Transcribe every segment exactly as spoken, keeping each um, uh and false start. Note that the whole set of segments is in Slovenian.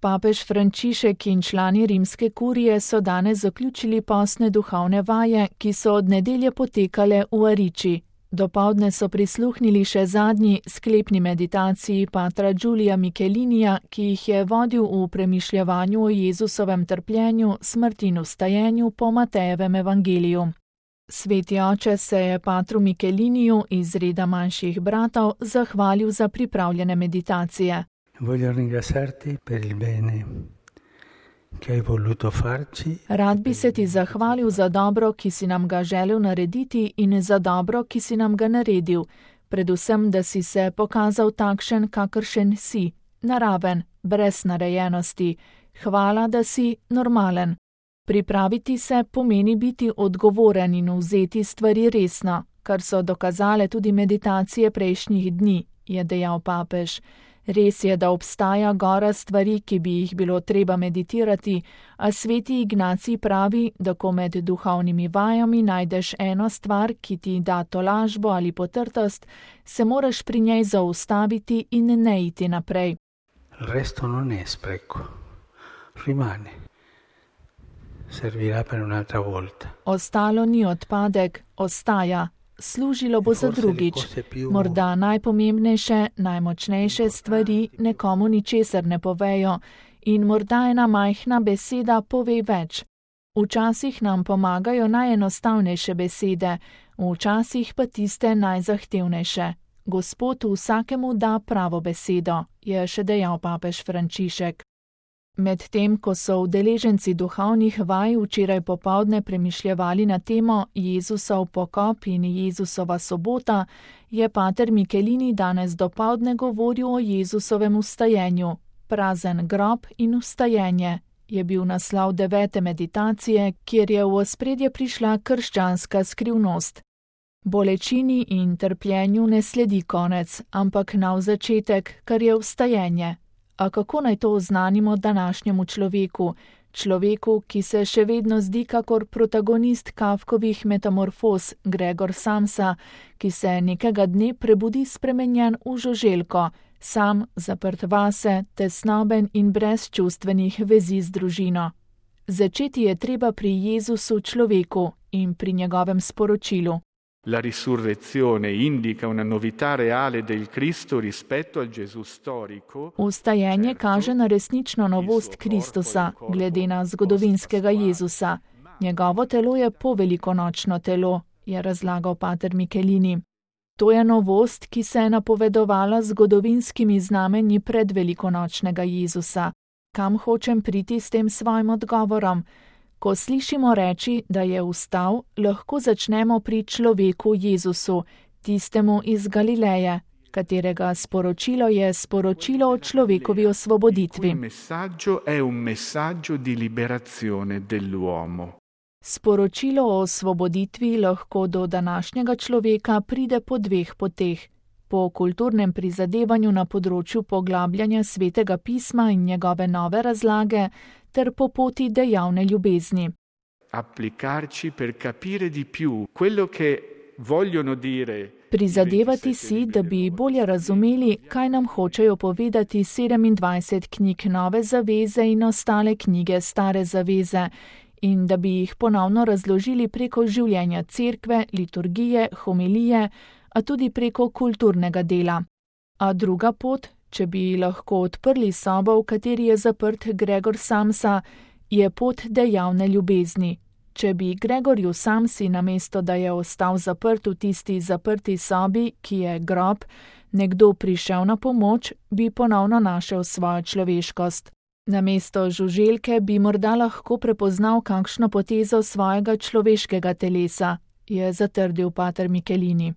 Papež Frančišek in člani rimske kurije so danes zaključili postne duhovne vaje, ki so od nedelje potekale v Ariči. Dopoldne so prisluhnili še zadnji sklepni meditaciji patra Giulia Michelinija, ki jih je vodil v premišljevanju o Jezusovem trpljenju, smrti in vstajenju po Matejevem evangeliju. Sveti oče se je patru Micheliniju iz reda manjših bratov zahvalil za pripravljene meditacije. Rad bi se ti zahvalil za dobro, ki si nam ga želel narediti, in za dobro, ki si nam ga naredil. Predvsem, da si se pokazal takšen, kakršen si, naraven, brez narejenosti. Hvala, da si normalen. Pripraviti se pomeni biti odgovoren in vzeti stvari resno, kar so dokazale tudi meditacije prejšnjih dni, je dejal papež. Res je, da obstaja gora stvari, ki bi jih bilo treba meditirati, a sveti Ignacij pravi, da ko med duhovnimi vajami najdeš eno stvar, ki ti da tolažbo ali potrtost, se moraš pri njej zaustaviti in ne iti naprej. Resto non è spreco. Rimane. Servirà per un'altra volta. Ostalo ni odpadek, ostaja. Služilo bo za drugič. Morda najpomembnejše, najmočnejše stvari nekomu ničesar ne povejo in morda ena majhna beseda pove več. Včasih nam pomagajo najenostavnejše besede, včasih pa tiste najzahtevnejše. Gospod vsakemu da pravo besedo, je še dejal papež Frančišek. Medtem, ko so udeleženci duhovnih vaj včeraj popoldne premišljevali na temo Jezusov pokop in Jezusova sobota, je pater Michelini danes dopoldne govoril o Jezusovem vstajenju. Prazen grob in vstajenje je bil naslov devete meditacije, kjer je v ospredje prišla krščanska skrivnost. Bolečini in trpljenju ne sledi konec, ampak nov začetek, kar je vstajenje. A kako naj to oznanimo današnjemu človeku, človeku, ki se še vedno zdi kakor protagonist Kafkovih metamorfoz Gregor Samsa, ki se nekega dne prebudi spremenjen v žuželko, sam, zaprt vase, tesnoben in brez čustvenih vezi z družino. Začeti je treba pri Jezusu človeku in pri njegovem sporočilu. La risurrezione indica una novità reale del Cristo rispetto al Gesù storico. Vstajenje kaže na resnično novost Kristusa, glede na zgodovinskega Jezusa. Njegovo telo je povelikonočno telo, je razlagal pater Michelini. To je novost, ki se je napovedovala z zgodovinskimi znamenji predvelikonočnega Jezusa. Kam hočem priti s tem svojim odgovorom? Ko slišimo reči, da je vstal, lahko začnemo pri človeku Jezusu, tistemu iz Galileje, katerega sporočilo je sporočilo o človekovi osvoboditvi. Sporočilo o osvoboditvi lahko do današnjega človeka pride po dveh poteh. Po kulturnem prizadevanju na področju poglabljanja svetega pisma in njegove nove razlage, ter po poti dejavne ljubezni. Prizadevati si, da bi bolje razumeli, kaj nam hočejo povedati sedemindvajset knjig Nove zaveze in ostale knjige Stare zaveze, in da bi jih ponovno razložili preko življenja cerkve, liturgije, homilije, a tudi preko kulturnega dela. A druga pot, če bi lahko odprli sobo, v kateri je zaprt Gregor Samsa, je pot dejavne ljubezni. Če bi Gregorju Samsi, namesto da je ostal zaprt v tisti zaprti sobi, ki je grob, nekdo prišel na pomoč, bi ponovno našel svojo človeškost. Namesto žuželke bi morda lahko prepoznal kakšno potezo svojega človeškega telesa, je zatrdil pater Michelini.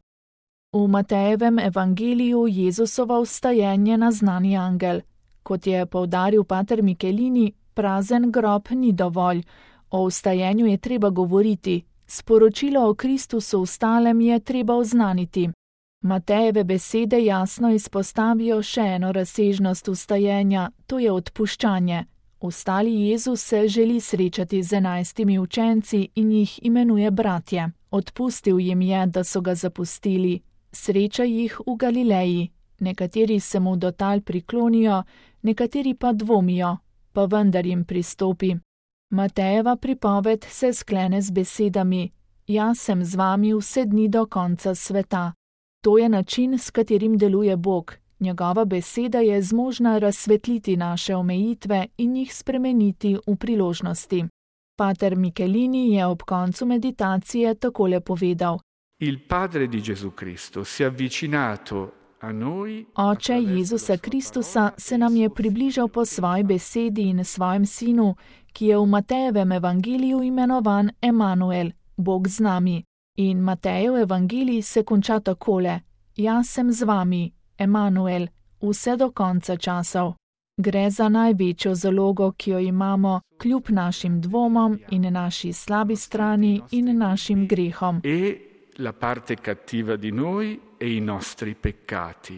V Matejevem evangeliju Jezusovo vstajenje naznani angel. Kot je poudaril pater Michelini, prazen grob ni dovolj. O vstajenju je treba govoriti. Sporočilo o Kristusu vstalem je treba oznaniti. Matejeve besede jasno izpostavijo še eno razsežnost vstajenja, to je odpuščanje. Vstali Jezus se želi srečati z enajstimi učenci in jih imenuje bratje. Odpustil jim je, da so ga zapustili. Sreča jih v Galileji. Nekateri se mu do tal priklonijo, nekateri pa dvomijo. pa vendar jim pristopi. Matejeva pripoved se sklene z besedami: Jaz sem z vami vse dni do konca sveta. To je način, s katerim deluje Bog. Njegova beseda je zmožna razsvetliti naše omejitve in jih spremeniti v priložnosti. Pater Michelini je ob koncu meditacije takole povedal: Il Padre di Gesù Cristo si è avvicinato a noi. Oče Jezusa Kristusa se nam je približal po svoji besedi in svojem sinu, ki je v Matejevem evangeliju imenovan Emanuel, Bog z nami. In Matejev evangelij se konča takole: Jaz sem z vami, Emanuel, vse do konca časov. Gre za največjo zalogo, ki jo imamo, kljub našim dvomom in naši slabi strani in našim grehom. E la parte cattiva di noi e i nostri peccati.